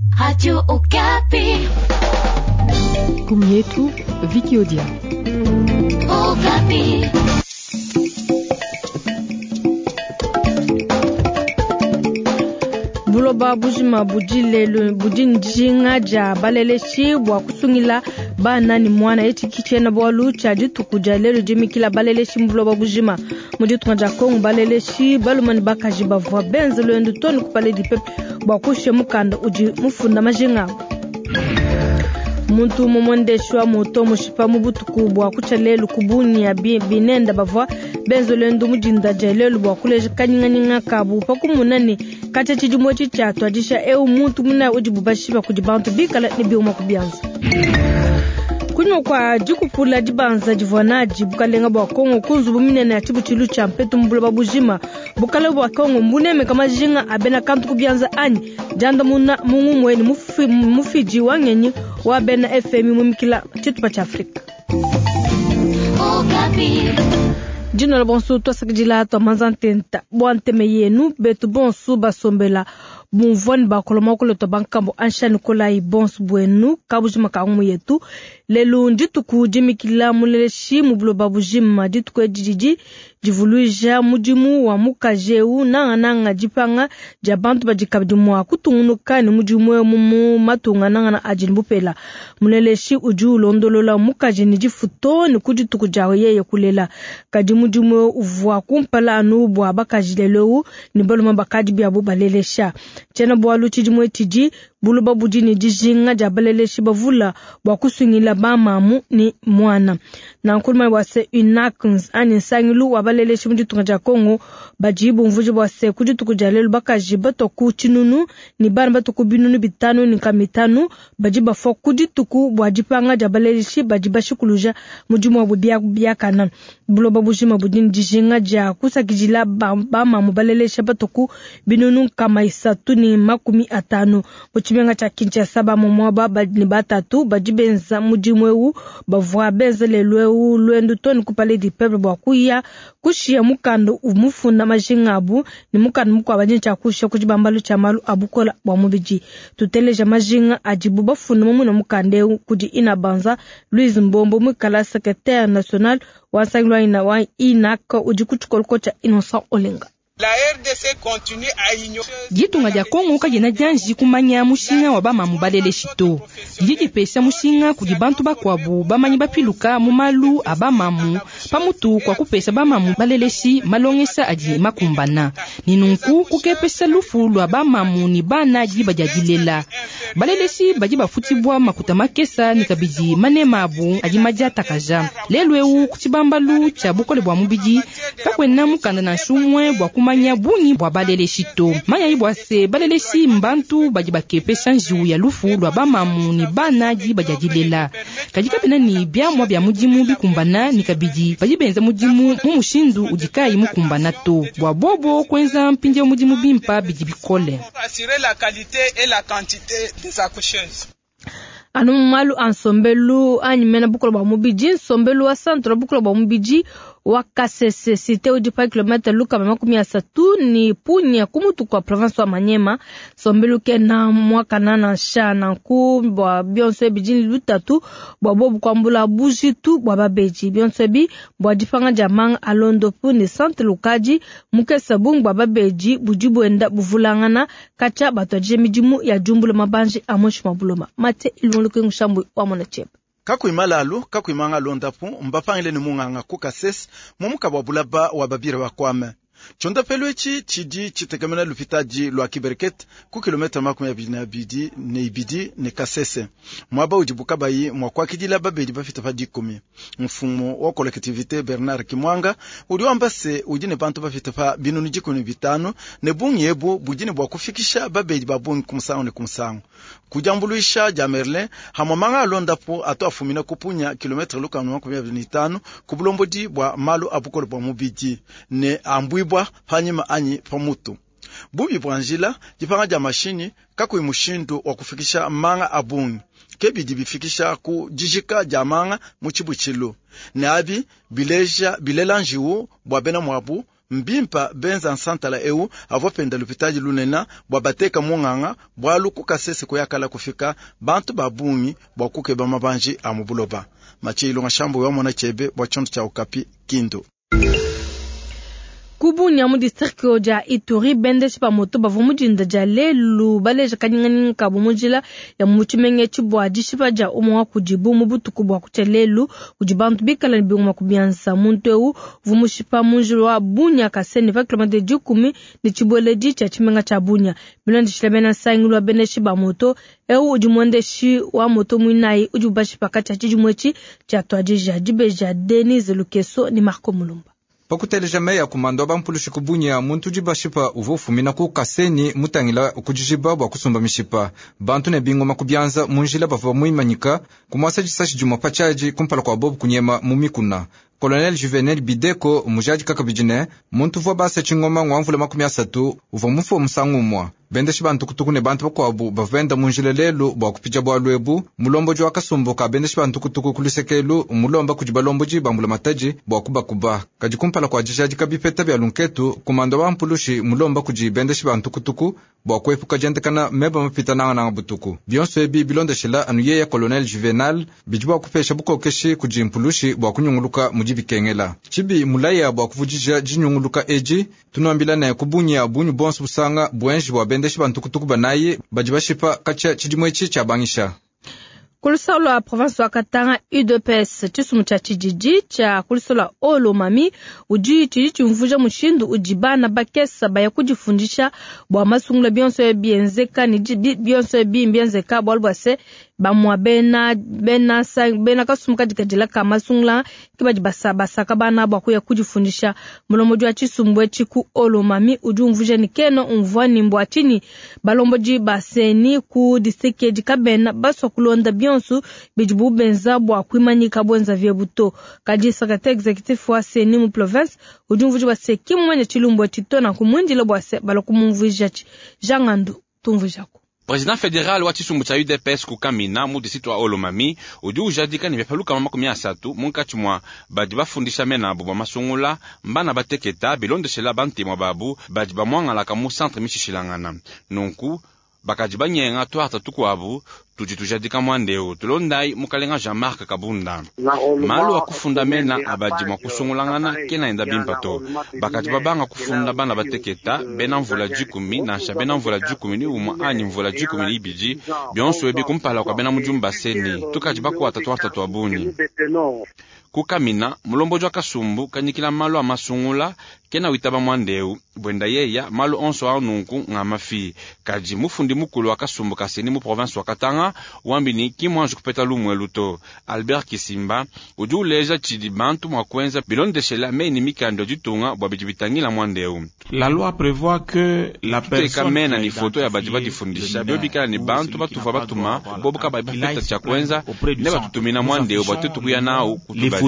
Radio Okapi. Kumyetu Vicky Odia. Okapi. Buloba bujima budi lelu budi njinga dia baleleshi bua kusungila bana ne muana. Etshi ki tshiena bualu tshia dituku dia lelu dimikila baleleshi mu buloba bujima. Mu ditunga dia Kongo baleleshi balume ne bakaji bavua benze luendu too ne ku Palais du Peuple bua kushiya mukanda udi mufunda majinga abu. Muntu umue muendeshi wa moto mushipa mu butuku bua kutshia lelu ku Bunia binenda bavua benze luendu mu dinda dia lelu bua kuleja kanyinganyinga kabu pa kumona ne katshia tshidimu etshi tshiatuadija eu muntu munayi udibu bashipa kudi bantu bikala ne biuma ku bianza. Kunyima kua dikupula dibanza divua nadi bukalenga bua Kongo ku nzubu minene ya tshibutshilu tshia mpetu mu buloba bujima, bukalenga bua Kongo mbunemeka majinga a bena kantu ku bianza anyi? Diandamuna mu ngumue ne mufidi wa ngenyi wa bena FMI mumikila tshitupa tshia Afrika. Dinola bonso twasakidila twamanza ntenta bua nteme yenu betu bonso basombela bumvua ne bakola muakulu twa bankambo ansha nikolayi bonso buenu kabujima ka ngumu yetu. Lelu ndituku dimikila muleleshi mu buloba bujima. Dituku edi didi divuluija mudimu wa mukaji eu nangananga dipanga dia bantu badi kabidi mua kutungunuka ne mudimu eu mu matunga nangana adi ne bupela. Muleleshi udi ulondolola mukaji ne difuto ne ku dituku dia yeye kulela. Kadi mudimu eu uvua kumpala anu bua bakaji, lelu eu ne balume bakadi biabu balelesha. Tshiena bualu tshidimu tshidi buloba budi ne dijinga dia baleleshi bavula bua kusungila bamamu ne muana. Nanku bua se UNACNS anyi nsangilu wa baleleshi mu ditunga dia Kongo badi bumvuija bua se ku dituku dia lelu bakaji batua ku tshinunu ne bana batua ku binunu bitanu ne nkama itanu badi bafua ku dituku bua dipanga dia baleleshi badi bashikuluja mudimu wabu biakana. Buloba bujima budi ne dijinga dia kusakidila bamamu balelesha batua ku binunu nkama isatu ne makumi atanu. Mu tshimenga tshia Kinshasa bamamu aba ne batatu badi benza mudimu eu bavua benza lelu eu luendu too ne ku Palais du Peuple bua kuya kushiya mukanda mufunda majinga abu ne mukanda mukuabu adi ne tshia kushiya ku tshibambalu tshia malu a bukola bua mubidi. Tuteleja majinga adibu bafunda mu muna mukanda eu kudi Ina Banza Louise Mbombo muikala secrétaire national wa nsangilu wa INAC udi ku tshikoloko tshia Innocent Olenga. La RDC continue à ignorer. Ditunga dia Kongo kadiena dianji kumanya mushinga wa bamamu baleleshi to. Didi dipesha mushinga kudi bantu bakuabu bamanyi bapiluka mu malu a bamamu pamutu kwa kupesha bamamu baleleshi malongesha adi makumbana. Ni nunku kukepesha lufu lua bamamu ni bana diba dia dilela. Baleleshi badi bafutibwa makuta makesa ni kabidi manema abu adi madiatakaja. Lelu eu ku tshibambalu tshia bukole bua mubidi kakuena mukanda nansha umue bua kumanya bungi bua baleleshi to. Manyayi bua se baleleshi mbantu badi bakepesha njiwu ya lufu lua bamamu ni bana diba dia dilela. Kadi kabena ni biamua bia mudimu bikumbana ni kabidi badi benza mudimu mu mushindu udi kayi mukumbana to. Bua bobo kuenza mpindieu mudimu bimpa bidi bikole. Assurer la qualité et la quantité des accoucheuses. Anu mu malu a nsombelu anyi mena bukola bua mubidi, nsombelu wa centre bukola bua mubidi wa Kasese cité udi pa kilomètre lukama makumi asatu ni Punia ku mutu kua province wa Maniema. Nsombelu kena muakana nansha nanku bua bionso ebi dini lutatu bua bobu kuambula bujitu bua babedi. Bionso ebi bua dipanga dia manga a londopu ne centre lukadi mukesa bungi bua babedi budi buenda buvulangana katshia batuadije midimu ya diumbula mabanji a muinshi mua buloba. Mate ilunguluke ngushambu wa mona tshebe. Kakuima lalu kakuimanga londapu mbapangile ne munganga ku Kasese mu mukaba wa bulaba wa babira bakwame. Tshondapelu etshi tshidi tshitekemena lupitadi lua Kibereket ku kilometre makumi abidi na abidi ne ibidi ne Kasese, muaba udi bukabayi mua kuakidila babedi bafita pa dikumi. Mfumu wa collectivité Bernard Kimwanga udi wamba se udi ne bantu bafita pa binunu dikumi ne bitanu ne bungi ebu budi ne bua kufikisha babedi ba bungi ku musangu ne ku musangu. Ku diambuluisha dia Merlin hamwe manga alondapu atu afumina kupunya kilometre lukanu makumi abidi ne itanu ku bulombodi bua malu a bukole bua mubidi ne ambuibwa panyima anyi pamutu. Bubi bua njila dipanga dia mashinyi kakuyi mushindu wa kufikisha manga a bungi ke bidi bifikisha ku dijika dia manga mu tshibutshilu ne abi bileja bilela njiwu bua bena muabu. Mbimpa benza nsantala eu avua penda lupitadi lunena bua bateka munganga bwalu ku Kasese kuyakala kufika bantu ba bungi bua kukeba mabanji a mu buloba. Mathieu Ilunga Shambo wa mona chebe bua tshiondo tshia Okapi Kindu. Kubunya mu district dia Ituri bendeshi ba moto bavua mu dinda dia lelu baleja kanyinganyinga kabu mu njila ya mu tshimenga etshi bua dishipa dia umue wa kudibu mu butuku bua kutshia lelu kudi bantu bikala ne bingoma ku bianza. Muntu eu uvua mushipa mu njila wa Bunia Kasene pa kilomètre dikumi ne tshibueledi tshia tshimenga tshia Bunia. Bilondeshile bena nsangilu wa bendeshi ba moto, eu udi muendeshi wa moto muinayi udi ubashipa katshia tshidimu etshi tshia tuadija. Dibeja Denise Lukeso ne Marco Mulumba. Pakuteleja meya kumando wa bampulushi ku Bunia, muntu udi bashipa uvua ufumina ku Kaseni mutangila ku dijiba bua kusumba mishipa. Bantu ne bingoma ku bianza mu njila bavua muimanyika kumuasa disashi dimue pa tshiadi kumpala kua bobu kunyema mu mikuna. Colonel Juvenal Bideko mujadi kakabidi ne muntu uvua basa tshingoma ngwa mvula 30 uvua mufue musangu umue. Bendeshi bantu kutuku ne bantu bakuabu bavua benda mu njila lelu bua kupija bualu ebu. Mulombodi wa kasumbu ka bendeshi bantu kutuku ku lusekelu mulomba kudi balombodi ba mbulamatadi bua kubakuba. Kadi kumpala kua dijadika bipeta bia lunketu, kumando wa mpulushi mulomba kudi bendeshi bantu kutuku bua kuepuka diendekana meba mapita nangananga butuku. Bionso ebi bilondeshela anu yeya Colonel Juvenal bidi bua kupesha bukokeshi kudi mpulushi bua kunyunguluka mudi bikengela. Tshibi mulaya bua kuvudija dinyunguluka edi tunuambila ne kubunya bunyu bonso busanga buenji bua bendeshi bantu kutuku banayi badi bashipa katshia tshidimu etshi tshiabangisha. Kulusalo lwa province wa Katanga UDPS tshisumu tshia tshididi tshia kulusalo lwa Haut-Lomami udi tshidi tshimvuja mushindu udi bana bakesa baya kudifundisha bua masungula bionso bienzeka ne bionso bienzeka bualu bua se bamua bena bena bena kasumu kadikadila ka masungula ke badi basaka bana bua kuya kudifundisha. Mulombodi wa tshisumbu etshi ku Haut-Lomami udi umvuja ne kena umvua ni mbua tshinyi balombodi ba CENI ku district edi kabena basua kulonda bionso bidibu benza bua kuimanyika bwenza vyebu to. Kadi secrétaire exécutif wa CENI mu province udi umvuja bua se kimumanya tshilumbu etshi to na kumwindila bua se bala kumumvuija tshi. Jean Ngandu tumvujaku. President fédéral wa tshisumbu tshia UDPS ku Kamina mu district wa Haut-Lomami udi ujadika ne byapaluka 30 munkatshi mua badi bafundisha menabu bua masungula mbana bateketa bilondeshela bantemwa babu badi bamwangalaka mu centre mishishilangana. Nunku bakaji banyenga twarta tukwabu tudi tujadika mwandeo tulondai mukalenga Jean-Marc Kabunda. Malu akufunda mena abadi mwa kusungulangana kena enda bimpa to. Bakaji babanga kufunda bana bateketa bena mvula 10 nansha bena mvula 11 anyi mvula 12 bionso ebi kumpala kwa bena mujumba CENI tukaji bakwata twarta twa bunyi. Kukamina mulomboji wa kasumbu kanyikila malu a masungula kena witaba mwandeu bwenda yeya malu onso a nunku nga mafi. Kaji mufundi mukulu wa kasumbu ka CENI mu province wa Katanga wambini kimwanji kupeta lumwe luto. Albert Kisimba udi uleja tshidi bantu mwa kuenza bilondeshela meni mikando ditunga bua bidi bitangila mwandeu. La loi prévoit que la personne mena ni foto ya badi badifundisha biobikala ni bantu batuva batuma bobuka bali bapeta tshia kuenza ne batutumina mwandeu bua tuetu kuya nawu kutubali.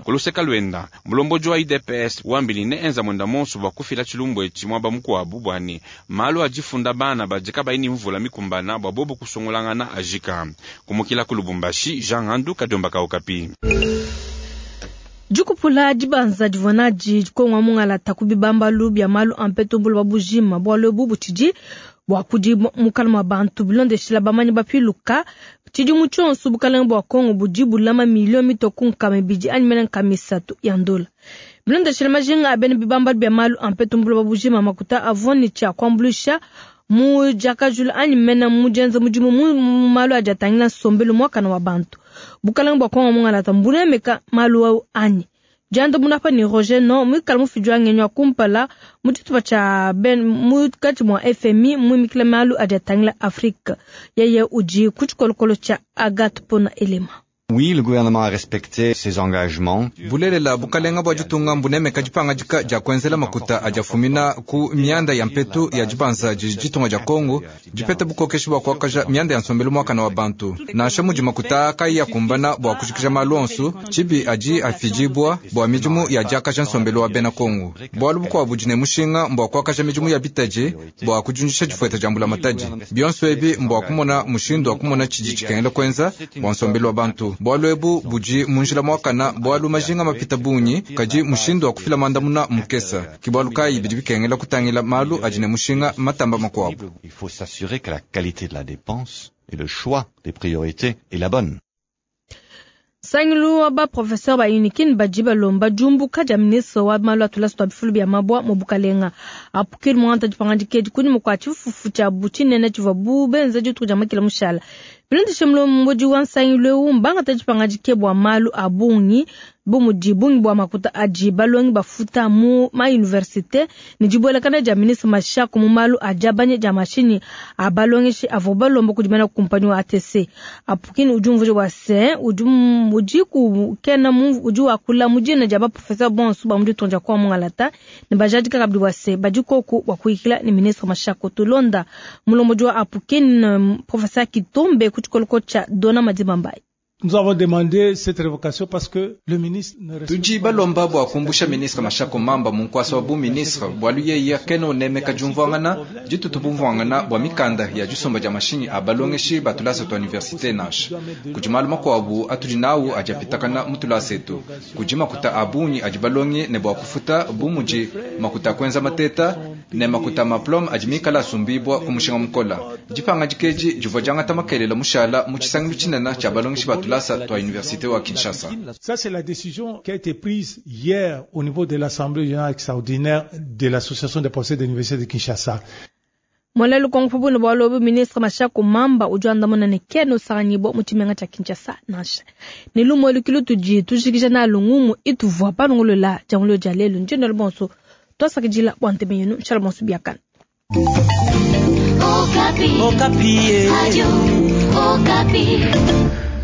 Kuluseka lwenda mulomboji wa UDPS wambini ne enza mwenda monso bua kufila tshilumbu etshi mwaba mukuabu bwani malu adifunda bana badika baini mvula mikumbana bua bobu kusungulangana ajika. Kumukila ku Lubumbashi, Jean Ngandu Kadiomba ka Okapi. Dikupula dibanza divonadi dikongwa mungalata kubibambalu bya malu ampeto mbulu babujima bualu ebu butshidi bua kudi mukala mwa bantu bilondeshela bamanyi bapiluka tshidimu tshionso bukalenge bua Kongo budi bulama milio mitoku nkama ibidi anyi mene nkama isatu ya ndola. Bilondeshela majinga a bena bibambalu bya malu ampeto mbulu babujima makuta avua ne tshia kuambuluisha mu diakajula anyi mene mu dienza mudimu mu malu adi atangila nsombelu muakana wa bantu. Bukalenge bua Kongo mungalata mbunemeka malu au anyi. Dianda munapa ni Roger no mwikala mufidi wa ngenyi wa kumpala mu tshitupa tshia ben mukatshi mua FMI muimikila malu adi atangila Afrika. Yeye udi ku tshikolokolo tshia Agathe Pona Elema. Oui, le gouvernement a respecté ses engagements. Bulelela bukalenga bua ditunga mbunemeka dipangadika dia kuenzela makuta adiafumina ku mianda ya mpetu ya dibanza didi ditunga dia Kongo dipeta bukokeshi bua kuakaja mianda ya nsombelu muakana wa bantu. Nansha mudi makuta kayi akumbana bua kujikija malu onso, tshibi adi afidibua bua midimu ya diakaja nsombelu wa bena Kongo. Bualu bukuabu budi ne mushinga mbua kuakaja midimu ya bitadi bua kudiundisha difueta dia mbulamatadi. Bionso ebi mbua kumona mushindu wa kumona tshidi tshikengela kuenza bua nsombelu wa bantu. Bualu ebu budi mu njila muakana, bualu majinga mapita bungi, kadi mushindu wa kufila mandamuna mukesa. Ke bualu kayi bidi bikengela kutangila malu adi ne mushinga matamba makuabu. Il faut s'assurer que la qualité de la dépense et le choix des priorités est la bonne. Nsangilu wa ba professeur ba Unikin badi balomba diumbuka dia ministre wa malu a tulasa tua bifulu bia mabua mu bukalenga. Apukil muangata dipangadika edi kunyima kua tshifufu tshiabu tshinene tshivuabu benza dituku dia makila mushala. Bilondeshe mulombodi wa nsangilu eu, mbangata dipangadika bua malu a bungi bu mudi bungi bua makuta adi balongi bafuta mu ma universite ne dibuelakana dia ministre Mashako mu malu a diabanya dia mashinyi a balongeshi avua balomba kudi bena kumpanyi wa ATC. Apukini udi umvuija bua se udi udi ku kena udi wakula mu dina dia baprofesseur bonso ba mu ditunga dia kwa Mungalata ne bajadika kabidi bua se badi koku bua kuyikila ne ministre Mashako. Tulonda mulombodi wa Apukini professeur Kitombe ku tshikoloko tshia Dona Madibambayi. Nous avons demandé cette révocation parce que le ministre ne respecte Tudi balomba bua kumbusha ministre Mashako Mamba mu nkuasa wa bu ministre bualu yeye kena unemeka diumvuangana ditutu bumvuangana bua mikanda ya disomba dia mashinyi a balongeshi ba tulasa tua universite nansha. Kudi malu makuabu atudi nawu adi apitakana mu tulasa etu. Kudi makuta a bungi adi balongi ne bua kufuta bu mudi makuta a kuenza mateta ne makuta a maplome adi mikala asumbibua ku mushinga mukola. Dipangadika edi divua diangata makelela mushala mu tshisangilu tshinene tshia balongeshi ba tulasa tua université wa Kinshasa. Ça, c'est la décision qui a été prise hier au niveau de l'Assemblée générale extraordinaire de l'Association des professeurs de l'Université de Kinshasa. Mwala lukongo pabu bua lobu ministre Mashako Mamba udi wandamuna ne kena usanganyibua mu tshimenga tshia Kinshasa nansha. Ne lumu elu kilu tudi tujikija nalu ngumu ituvua palongolola dia dia lelu ndino bonso twasakidila bua ntema yenu nshala bonso biakana. Okapi. Okapi. Radio Okapi.